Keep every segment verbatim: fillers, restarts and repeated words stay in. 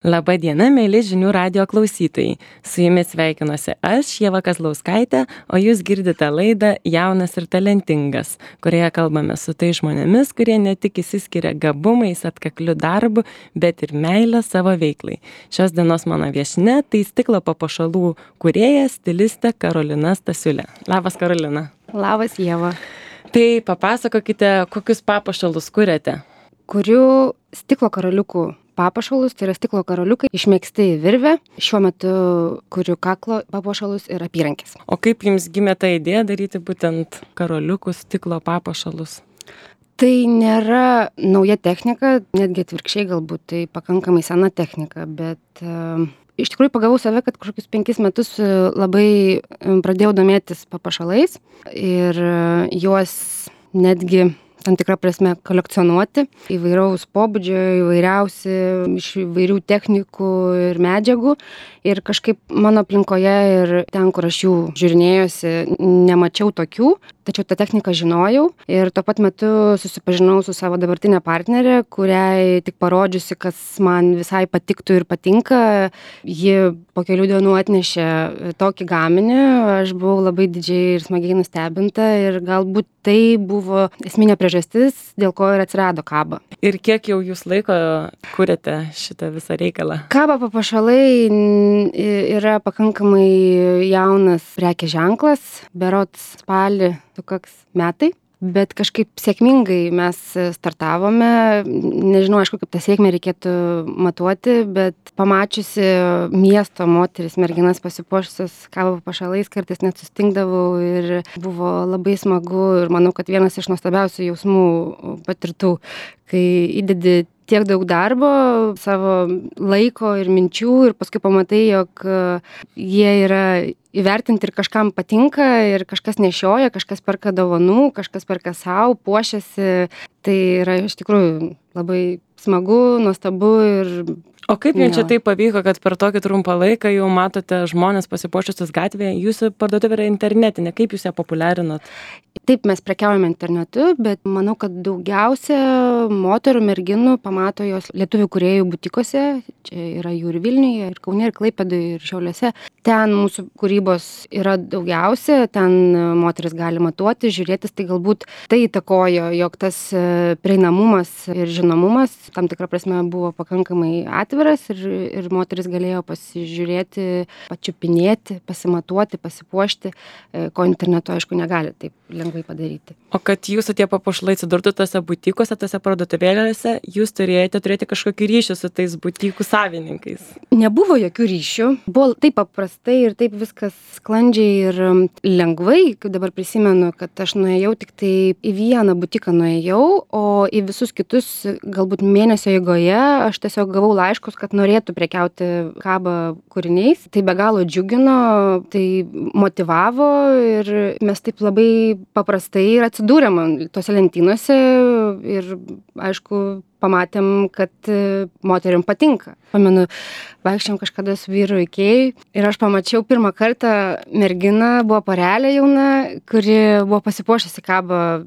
Labą dieną, mėly žinių radijo klausytojai. Su jumis sveikinuosi aš, Ieva Kazlauskaitė, o jūs girdite laidą Jaunas ir talentingas, kurioje kalbame su tai žmonėmis, kurie ne tik išsiskiria gabumais, atkakliu darbu, bet ir meilę savo veiklai. Šios dienos mano viešnia tai stiklo papuošalų kūrėja, stilistė Karolina Stasiulė. Labas, Karolina. Labas, Ieva. Tai papasakokite, kokius papuošalus kuriate. Kuriu stiklo karoliukų papuošalus, tai yra stiklo karoliukai išmėgsti į virvę. Šiuo metu kuriu kaklo papuošalus ir apyrankės. O kaip jums gimė ta idėja daryti būtent karoliukų stiklo papuošalus? Tai nėra nauja technika, netgi atvirkščiai galbūt tai pakankamai sena technika, bet uh, iš tikrųjų pagavau save, kad kažkokius penkis metus labai pradėjau domėtis papuošalais ir uh, juos netgi tam tikrą prasme kolekcionuoti, įvairaus pobūdžio, įvairiausi, iš įvairių technikų ir medžiagų. Ir kažkaip mano aplinkoje ir ten, kur aš jų žiūrinėjosi, nemačiau tokių, tačiau tą techniką žinojau. Ir tuo pat metu susipažinau su savo dabartinė partnerė, kuriai tik parodžiusi, kas man visai patiktų ir patinka, ji po kelių dienų atnešė tokį gaminį. Aš buvau labai didžiai ir smagiai nustebinta ir galbūt tai buvo esminė priežastis, dėl ko ir atsirado kaba. Ir kiek jau jūs laiko kuriate šitą visą reikalą? Kaba papuošalai yra pakankamai jaunas prekės ženklas, berods spalį sukaks metai. Bet kažkaip sėkmingai mes startavome, nežinau, aišku, kaip tą sėkmę reikėtų matuoti, bet pamačiusi miesto moteris, merginas pasipuošusios kaba papuošalais, kartais net sustingdavau ir buvo labai smagu ir manau, kad vienas iš nuostabiausių jausmų patirtų, kai įdedi tiek daug darbo, savo laiko ir minčių ir paskui pamatai, jog jie yra įvertinti ir kažkam patinka ir kažkas nešioja, kažkas perka dovanų, kažkas perka savo, puošiasi. Tai yra iš tikrųjų labai smagu, nuostabu ir... O kaip jums čia tai pavyko, kad per tokį trumpą laiką jau matote žmonės pasipuošusius gatvėje, jūsų parduotuvė yra internetinė, kaip jūs ją populiarinot? Taip, mes prekiaujame internetu, bet manau, kad daugiausia moterų, merginų pamato jos lietuvių kūrėjų butikose, čia yra jų ir Vilniuje, ir Kaune, ir Klaipėdoje, ir Šiauliuose. Ten mūsų kūrybos yra daugiausia, ten moteris gali matuoti, žiūrėtis, tai galbūt tai įtakojo, jog tas prieinamumas ir žinomumas tam tikrą prasme buvo pakankamai atviras ir, ir moteris galėjo pasižiūrėti, pačiupinėti, pasimatuoti, pasipuošti, ko internetu, aišku, negali taip lengvai padaryti. O kad jūsų tie papuošalai atsidurtų tose butikuose, tose parduotuvėlėse, jūs turėjote turėti kažkokį ryšį su tais butikų savininkais? Nebuvo jokių ryšių. Buvo taip paprastai ir taip viskas sklandžiai ir lengvai, kaip dabar prisimenu, kad aš nuėjau tik tai į vieną butiką nuėjau, o į visus kitus galbūt mėnesio eigoje aš tiesiog gavau laiškus, kad norėtų prekiauti kaba kūriniais. Tai be galo džiugino, tai motyvavo ir mes taip labai paprastai ir atsidūrėm tose lentynose ir, aišku, pamatėm, kad moteriam patinka. Pamenu, vaikščiam kažkada su vyru Ikėjui ir aš pamačiau pirmą kartą merginą, buvo porelė jauna, kuri buvo pasipuošusi kaba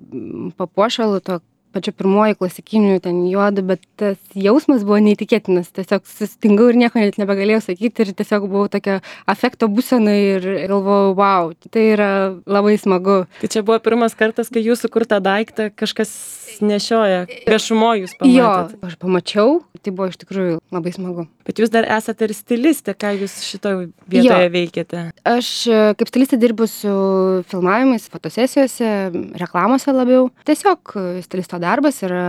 papuošalų, to pačiu pirmoji klasikiniu ten juodu, bet tas jausmas buvo neįtikėtinas. Tiesiog sustingau ir nieko net nebegalėjau sakyti ir tiesiog buvau tokia afekto būsena ir galvojau, wow, tai yra labai smagu. Tai čia buvo pirmas kartas, kai jūsų kurtą daiktą kažkas nešioja, viešumo jūs pamatėte. Jo, aš pamačiau, tai buvo iš tikrųjų labai smagu. Bet jūs dar esate ir stilistė, ką jūs šitoje vietoje jo. Veikiate? Aš kaip stilistė dirbu su filmavimais, fotosesijose, reklamose labiau. Tiesiog stilisto darbas yra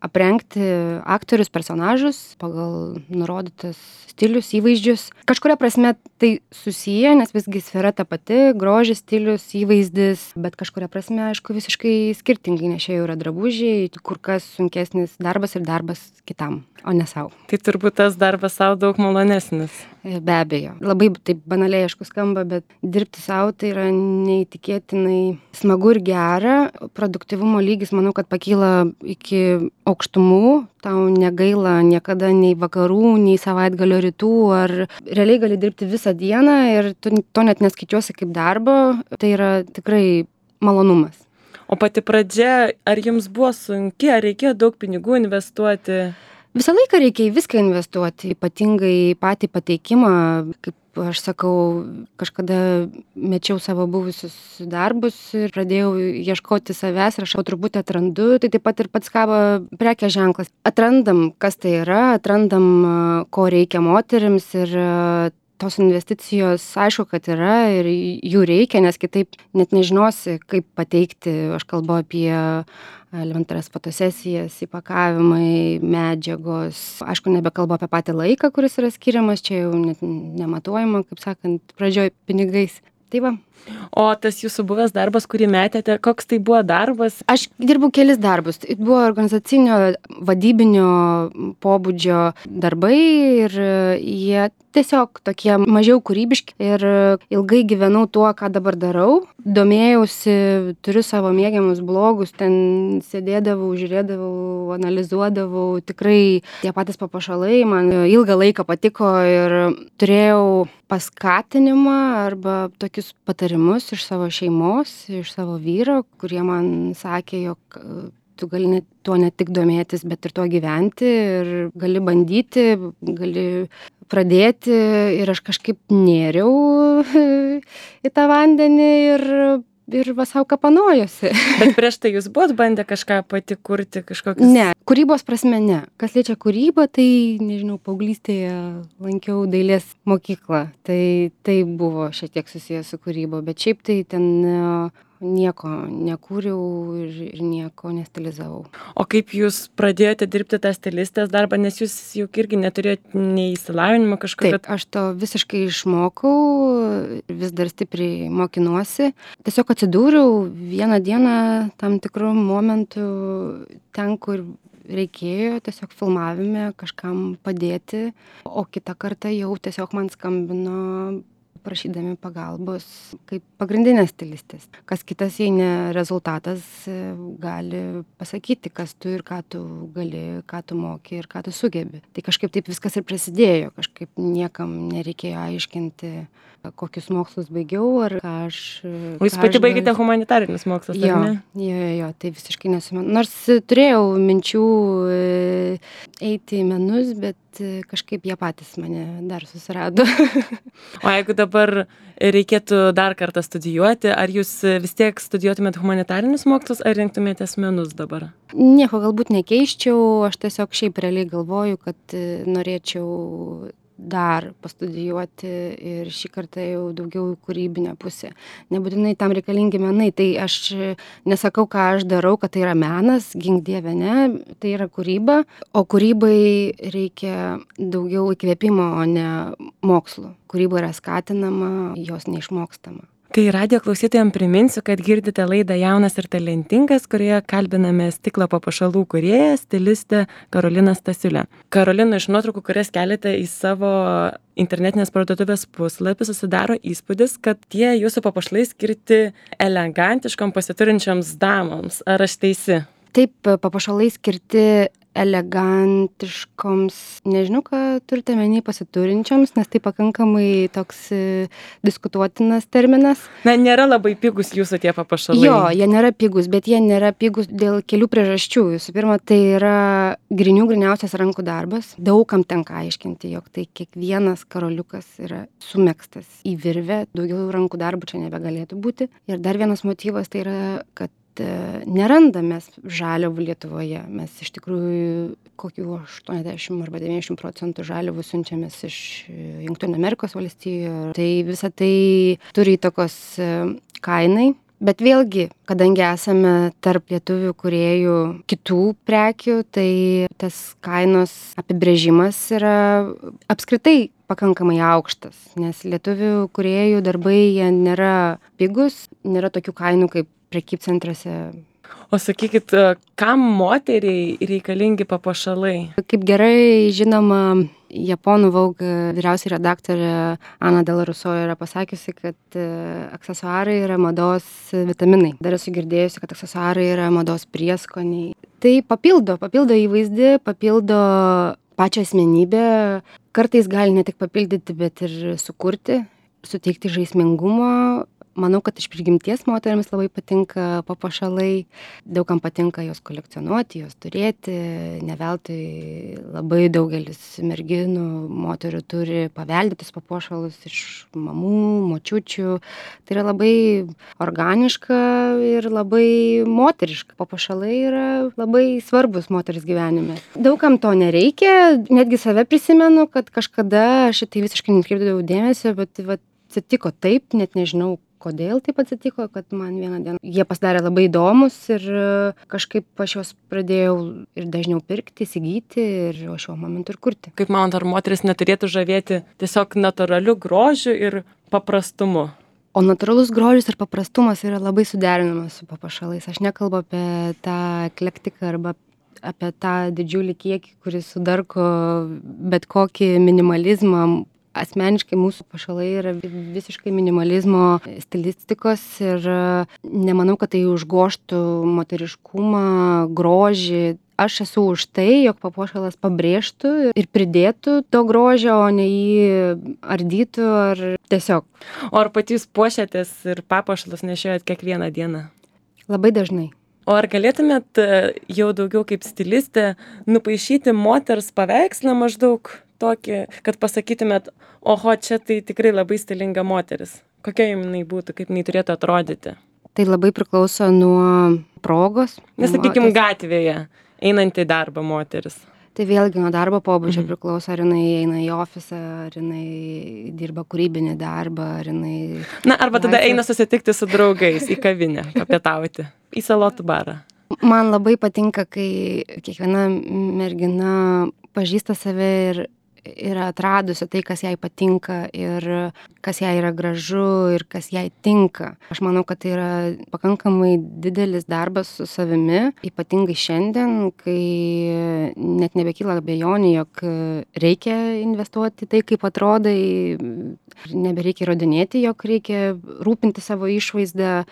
aprengti aktorius, personažus pagal nurodytas stilius, įvaizdžius. Kažkuria prasme tai susiję, nes visgi sfera ta pati, grožis, stilius, įvaizdis, bet kažkuria prasme, aišku, visiškai skirtingai, nes čia jau yra drabužiai, kur kas sunkesnis darbas ir darbas kitam, o ne savo. Tai turbūt tas darbas savo daug malonesnis. Be abejo. Labai taip banaliai, aišku, skamba, bet dirbti savo tai yra neįtikėtinai smagu ir gera. Produktyvumo lygis, manau, kad pakyla iki aukštumų. Tau negaila niekada nei vakarų, nei savaitgalio rytų, ar realiai gali dirbti visą dieną ir tu to net neskaičiuosi kaip darbo. Tai yra tikrai malonumas. O pati pradžia, ar jums buvo sunki, ar reikėjo daug pinigų investuoti? Visą laiką reikia į viską investuoti, ypatingai į patį pateikimą, kaip aš sakau, kažkada mečiau savo buvusius darbus ir pradėjau ieškoti savęs ir aš jau truputį atrandu, tai taip pat ir pats kabo prekės ženklas. Atrandam, kas tai yra, atrandam, ko reikia moterims ir tos investicijos aišku, kad yra ir jų reikia, nes kitaip net nežinosi, kaip pateikti. Aš kalbu apie elementarias fotosesijas, įpakavimai, medžiagos. Aišku, nebekalbu apie patį laiką, kuris yra skiriamas, čia jau net nematuojama, kaip sakant, pradžioj pinigais. Tai va. O tas jūsų buvęs darbas, kurį metėte, koks tai buvo darbas? Aš dirbau kelis darbus. Tai buvo organizacinio, vadybinio pobūdžio darbai ir jie tiesiog tokie mažiau kūrybiški ir ilgai gyvenau tuo, ką dabar darau. Domėjausi, turiu savo mėgiamus blogus, ten sėdėdavau, žiūrėdavau, analizuodavau. Tikrai tie patys papuošalai man ilgą laiką patiko ir turėjau paskatinimą arba tokius patarimus iš savo šeimos, iš savo vyro, kurie man sakė, jog tu gali ne, tuo ne tik domėtis, bet ir tuo gyventi ir gali bandyti, gali pradėti ir aš kažkaip nėriau į tą vandenį ir, ir va sau kapanojosi. Bet prieš tai jūs buvot bandę kažką pati kurti, kažkokius... Ne, kūrybos prasme ne. Kas liečia kūrybą, tai, nežinau, paauglystėje lankiau dailės mokyklą. Tai tai buvo šiek tiek susijęs su kūryba, bet šiaip tai ten nieko nekūriau ir, ir nieko nestilizavau. O kaip jūs pradėjote dirbti tą stilistės darbą, nes jūs juk irgi neturėjote nei įsilavinimo kažkokio? Taip, aš to visiškai išmokau, vis dar stipriai mokinuosi. Tiesiog atsidūriau vieną dieną tam tikrų momentų ten, kur reikėjo tiesiog filmavime kažkam padėti, o kitą kartą jau tiesiog man skambino prašydami pagalbos kaip pagrindinės stilistės. Kas kitas, jei ne rezultatas, gali pasakyti, kas tu ir ką tu gali, ką tu moki ir ką tu sugebi. Tai kažkaip taip viskas ir prasidėjo, kažkaip niekam nereikėjo aiškinti, kokius mokslus baigiau ar ką aš... O jūs pati baigėte humanitarinius mokslus, jo, ar ne? Jo, jo, jo, tai visiškai nesumen. Nors turėjau minčių eiti į menus, bet kažkaip jie patys mane dar susirado. O jeigu dabar reikėtų dar kartą studijuoti, ar jūs vis tiek studijuotumėt humanitarinius mokslus, ar rinktumėtės menus dabar? Nieko galbūt nekeiščiau, aš tiesiog šiaip realiai galvoju, kad norėčiau dar pastudijuoti ir šį kartą jau daugiau kūrybinę pusę. Nebūtinai tam reikalingi menai, tai aš nesakau, ką aš darau, kad tai yra menas, gink dieve, ne, tai yra kūryba, o kūrybai reikia daugiau įkvėpimo, o ne mokslo. Kūryba yra skatinama, jos neišmokstama. Tai radijo klausytojams priminsiu, kad girdite laidą Jaunas ir talentingas, kurioje kalbiname stiklo papuošalų kūrėją, stilistę Karoliną Stasiulę. Karolina, iš nuotraukų, kurias keliate į savo internetinės parduotuvės puslapį, susidaro įspūdis, kad tie jūsų papuošalai skirti elegantiškom pasiturinčioms damoms. Ar aš teisi? Taip, papuošalai skirti elegantiškoms, nežinau, ką turite menį pasiturinčioms, nes tai pakankamai toks diskutuotinas terminas. Na, nėra labai pigus jūsų tie papuošalai. Jo, jie nėra pigus, bet jie nėra pigus dėl kelių priežasčių. Visų pirma, tai yra grinių griniausias rankų darbas. Daugam tenka aiškinti, jog tai kiekvienas karoliukas yra sumegztas į virvę, daugiau rankų darbų čia nebegalėtų būti. Ir dar vienas motyvas tai yra, kad nerandame žaliavų Lietuvoje. Mes iš tikrųjų kokių aštuoniasdešimt arba devyniasdešimt procentų žaliavų siunčiamės iš Jungtinių Amerikos valstijų. Tai visa tai turi įtakos kainai. Bet vėlgi, kadangi esame tarp lietuvių kūrėjų kitų prekių, tai tas kainos apibrėžimas yra apskritai pakankamai aukštas, nes lietuvių kūrėjų darbai jie nėra pigus, nėra tokių kainų kaip prekybcentriuose. O sakykit, kam moteriai reikalingi papuošalai? Kaip gerai žinoma, japonų Vogue vyriausioji redaktorė Ana Del Russo yra pasakiusi, kad aksesuarai yra mados vitaminai. Dar esu girdėjusi, kad aksesuarai yra mados prieskoniai. Tai papildo, papildo įvaizdį, papildo pačią asmenybę. Kartais gali ne tik papildyti, bet ir sukurti, suteikti žaismingumo. Manau, kad iš prigimties moteriams labai patinka papuošalai, daugam patinka juos kolekcionuoti, juos turėti, ne veltui labai daugelis merginų, moterių turi paveldėtus papuošalus iš mamų, močiučių. Tai yra labai organiška ir labai moteriška. Papuošalai yra labai svarbus moters gyvenime. Daugam to nereikia, netgi save prisimenu, kad kažkada aš tai visiškai netkreipdavau dėmesio, bet va, atsitiko taip, net nežinau, kodėl taip atsitiko, kad man vieną dieną jie pasidarė labai įdomus ir kažkaip aš juos pradėjau ir dažniau pirkti, įsigyti ir o šiuo momentu ir kurti. Kaip manot, ar moteris neturėtų žavėti tiesiog natūraliu grožiu ir paprastumu? O natūralus grožis ir paprastumas yra labai suderinamas su papuošalais. Aš nekalbu apie tą eklektiką arba apie tą didžiulį kiekį, kuris sudarko bet kokį minimalizmą. Asmeniškai mūsų papuošalai yra visiškai minimalizmo stilistikos ir nemanau, kad tai užgoštų moteriškumą, grožį. Aš esu už tai, jog papuošalas pabrėžtų ir pridėtų to grožio, o ne jį ardytų ar tiesiog. O ar patys puošiatės ir papuošalus nešiojat kiekvieną dieną? Labai dažnai. O ar galėtumėt jau daugiau kaip stilistė nupaišyti moters paveikslą maždaug tokį, kad pasakytumėt, oho, čia tai tikrai labai stilinga moteris. Kokia jinai būtų, kaip jinai turėtų atrodyti? Tai labai priklauso nuo progos. Nes, sakykime, gatvėje einant į darbą moteris. Tai vėlgi nuo darbo pobūdžio mhm. priklauso, ar jinai eina į ofisą, ar jinai dirba kūrybinį darbą, ar jinai... Na, arba tada eina susitikti su draugais į kavinę, papietauti, į salotų barą. Man labai patinka, kai kiekviena mergina pažįsta save ir yra atradusi tai, kas jai patinka ir kas jai yra gražu ir kas jai tinka. Aš manau, kad tai yra pakankamai didelis darbas su savimi, ypatingai šiandien, kai net nebekyla abejonių, jog reikia investuoti tai, kaip atrodai, nebereikia įrodinėti, jog reikia rūpinti savo išvaizdą.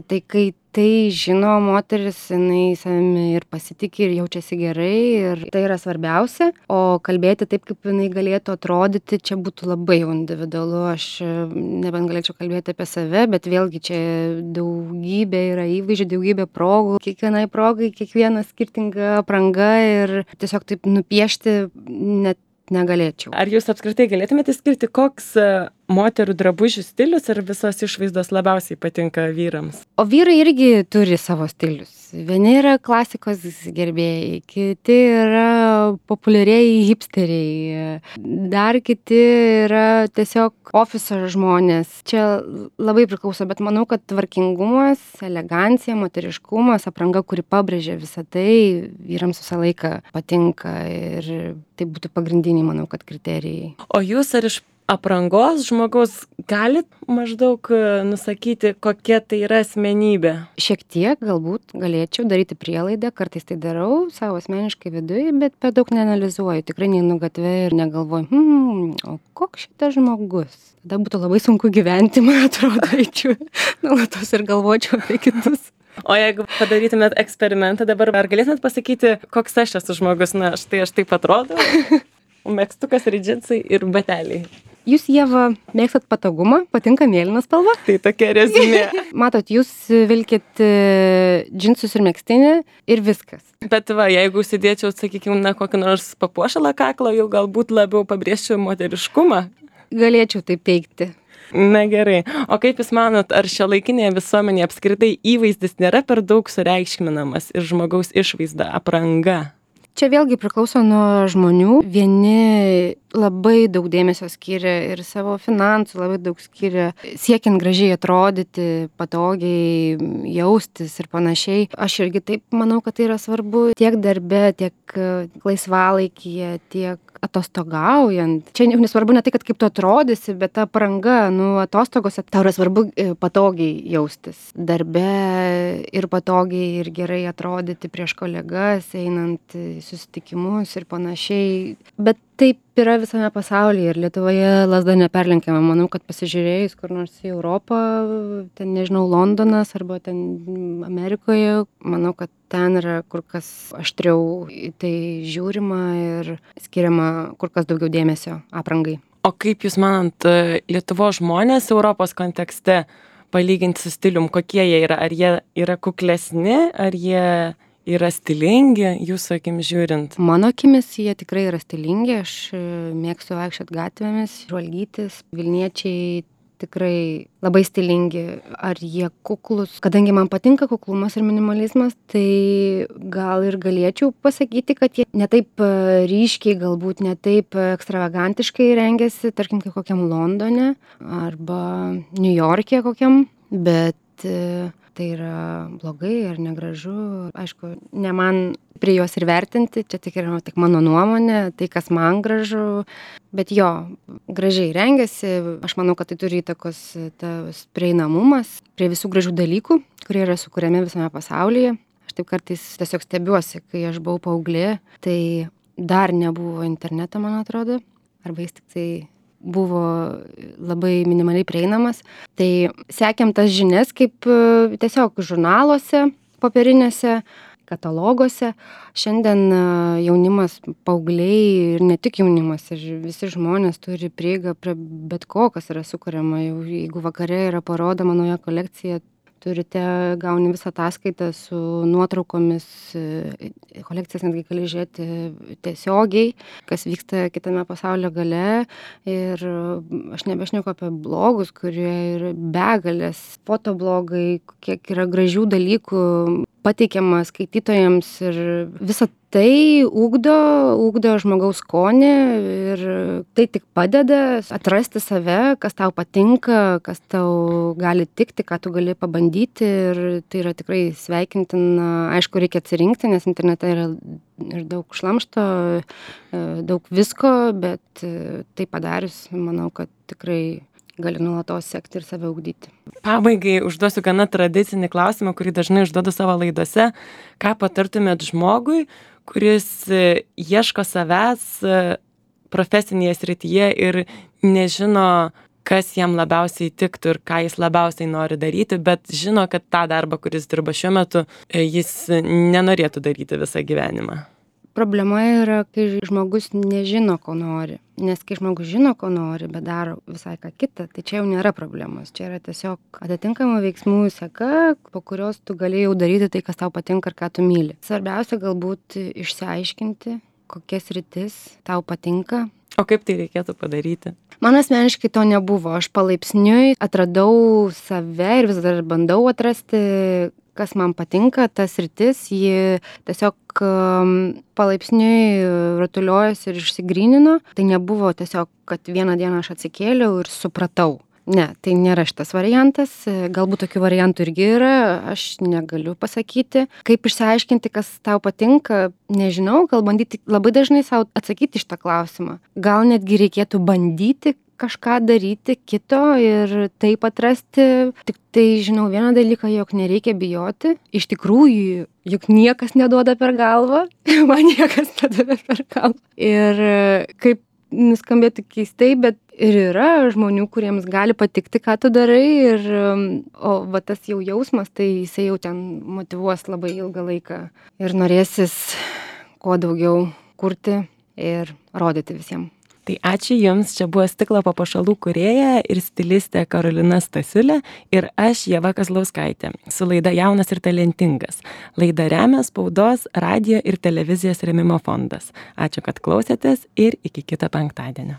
Tai kai tai žino moteris, jinai savimi ir pasitiki ir jaučiasi gerai ir tai yra svarbiausia, o kalbėti taip, kaip jinai galėtų atrodyti, čia būtų labai individualu. Aš nebent galėčiau kalbėti apie save, bet vėlgi čia daugybė yra įvaizdžių, daugybė progų, kiekvienai progai, kiekviena skirtinga apranga ir tiesiog taip nupiešti net negalėčiau. Ar jūs apskritai galėtumėte skirti, koks moterų drabužių stilius ir visos išvaizdos labiausiai patinka vyrams? O vyrai irgi turi savo stilius. Vieni yra klasikos gerbėjai, kiti yra populiarieji hipsteriai, dar kiti yra tiesiog ofiso žmonės. Čia labai priklauso, bet manau, kad tvarkingumas, elegancija, moteriškumas, apranga, kuri pabrėžia visą tai, vyrams visą laiką patinka ir tai būtų pagrindiniai, manau, kad kriterijai. O jūs ar iš aprangos žmogaus galit maždaug nusakyti, kokia tai yra asmenybė? Šiek tiek galbūt galėčiau daryti prielaidą, kartais tai darau savo asmeniškai viduje, bet per daug neanalizuoju, tikrai neinu gatvę ir negalvoju, hmm, o koks šitas žmogus? Tada būtų labai sunku gyventi, man atrodo, eičiau nuolatos ir galvočiau apie kitus. O jeigu padarytumėt eksperimentą dabar, ar galėtumėt pasakyti, koks aš esu žmogus? Na, štai aš taip atrodau, megztukas ir džinsai ir bateliai. Jūs, Ieva, mėgstat patogumą, patinka mėlyna spalva? Tai tokia reziumė. Matot, jūs vilkit džinsus ir megztinį ir viskas. Bet va, jeigu užsidėčiau, sakykime, na, kokį nors papuošalą kaklo, jau galbūt labiau pabrėžčiau moteriškumą. Galėčiau taip teigti. Na gerai. O kaip jūs manot, ar šiuolaikinėje visuomenėje apskritai įvaizdis nėra per daug sureikšminamas ir žmogaus išvaizda, apranga? Čia vėlgi priklauso nuo žmonių. Vieni labai daug dėmesio skiria ir savo finansų, labai daug skiria siekiant gražiai atrodyti, patogiai jaustis ir panašiai. Aš irgi taip manau, kad tai yra svarbu tiek darbe, tiek laisvalaikyje, tiek atostogaujant. Čia nesvarbu ne tai, kad kaip tu atrodysi, bet ta apranga, nu, atostogose tau yra svarbu patogiai jaustis. Darbe ir patogiai ir gerai atrodyti prieš kolegas, einant susitikimus ir panašiai. Bet taip yra visame pasaulyje ir Lietuvoje lazda neperlenkiama. Manau, kad pasižiūrėjus kur nors į Europą, ten nežinau, Londonas arba ten Amerikoje, manau, kad ten yra kur kas aštriau į tai žiūrima ir skiriama kur kas daugiau dėmesio aprangai. O kaip jūs manant, Lietuvos žmonės Europos kontekste palyginti su stilium, kokie jie yra? Ar jie yra kuklesni, ar jie yra stilingi, jūsų akimis žiūrint? Mano akimis jie tikrai yra stilingi, aš mėgstu vaikščiot gatvėmis, žvalgytis, Vilniečiai tikrai labai stilingi, ar jie kuklus. Kadangi man patinka kuklumas ir minimalizmas, tai gal ir galėčiau pasakyti, kad jie netaip ryškiai, galbūt netaip ekstravagantiškai rengiasi, tarkim, kaip kokiam Londone arba Niujorke kokiam, bet tai yra blogai ar negražu. Aišku, ne man prie jos ir vertinti, čia tik yra tik mano nuomonė, tai kas man gražu, bet jo, gražiai rengiasi. Aš manau, kad tai turi įtakos tas prieinamumas prie visų gražių dalykų, kurie yra sukuriami visame pasaulyje. Aš taip kartais tiesiog stebiuosi, kai aš buvau paauglė, tai dar nebuvo interneto, man atrodo, arba jis tik tai buvo labai minimaliai prieinamas. Tai sekėm tas žinias kaip tiesiog žurnaluose, popierinėse, kataloguose. Šiandien jaunimas, paaugliai ir ne tik jaunimas, ir visi žmonės turi prieigą prie bet ko, kas yra sukuriama. Jau jeigu vakare yra parodoma nauja kolekcija, turite, gauni visą ataskaitą su nuotraukomis, kolekcijas netgi gali žiūrėti tiesiogiai, kas vyksta kitame pasaulio gale. Ir aš nebešneku apie blogus, kurie yra begalės, fotoblogai, kiek yra gražių dalykų pateikiama skaitytojams, ir visa tai ugdo, ugdo žmogaus skonį, ir tai tik padeda atrasti save, kas tau patinka, kas tau gali tikti, ką tu gali pabandyti, ir tai yra tikrai sveikintina. Aišku, reikia atsirinkti, nes internete yra ir daug šlamšto, daug visko, bet tai padarius, manau, kad tikrai gali nuolatos sekti ir save ugdyti. Pabaigai užduosiu gana tradicinį klausimą, kurį dažnai užduodu savo laidose. Ką patartumėt žmogui, kuris ieško savęs profesinėje srityje ir nežino, kas jam labiausiai tiktų ir ką jis labiausiai nori daryti, bet žino, kad tą darbą, kuris dirba šiuo metu, jis nenorėtų daryti visą gyvenimą? Problema yra, kai žmogus nežino, ko nori. Nes kai žmogus žino, ko nori, bet daro visai ką kitą, tai čia jau nėra problemos. Čia yra tiesiog atitinkama veiksmų seka, po kurios tu gali jau daryti tai, kas tau patinka ir ką tu myli. Svarbiausia galbūt išsiaiškinti, kokias sritis tau patinka. O kaip tai reikėtų padaryti? Man asmeniškai to nebuvo. Aš palaipsniui atradau save ir vis dar bandau atrasti, kas man patinka, tas sritis. Ji tiesiog um, palaipsniui rutuliojosi ir išsigrynino. Tai nebuvo tiesiog, kad vieną dieną aš atsikėliau ir supratau. Ne, tai nėra šitas variantas. Galbūt tokių variantų irgi yra, aš negaliu pasakyti. Kaip išsiaiškinti, kas tau patinka, nežinau, gal bandyti labai dažnai savo atsakyti šitą klausimą. Gal netgi reikėtų bandyti kažką daryti kito ir taip atrasti. Tik tai žinau vieną dalyką, jog nereikia bijoti. Iš tikrųjų, juk niekas neduoda per galvą. Man niekas neduoda per galvą. Ir kaip nuskambėtų keistai, bet ir yra žmonių, kuriems gali patikti, ką tu darai, ir, o va tas jau jausmas, tai jisai jau ten motyvuos labai ilgą laiką ir norėsis kuo daugiau kurti ir rodyti visiems. Tai ačiū Jums, čia buvo Stiklo papuošalų kūrėja ir stilistė Karolina Stasiulė ir aš, Ieva Kazlauskaitė, su laida Jaunas ir talentingas. Laidą remia Spaudos, radijo ir televizijos rėmimo fondas. Ačiū, kad klausėtės ir iki kito penktadienio.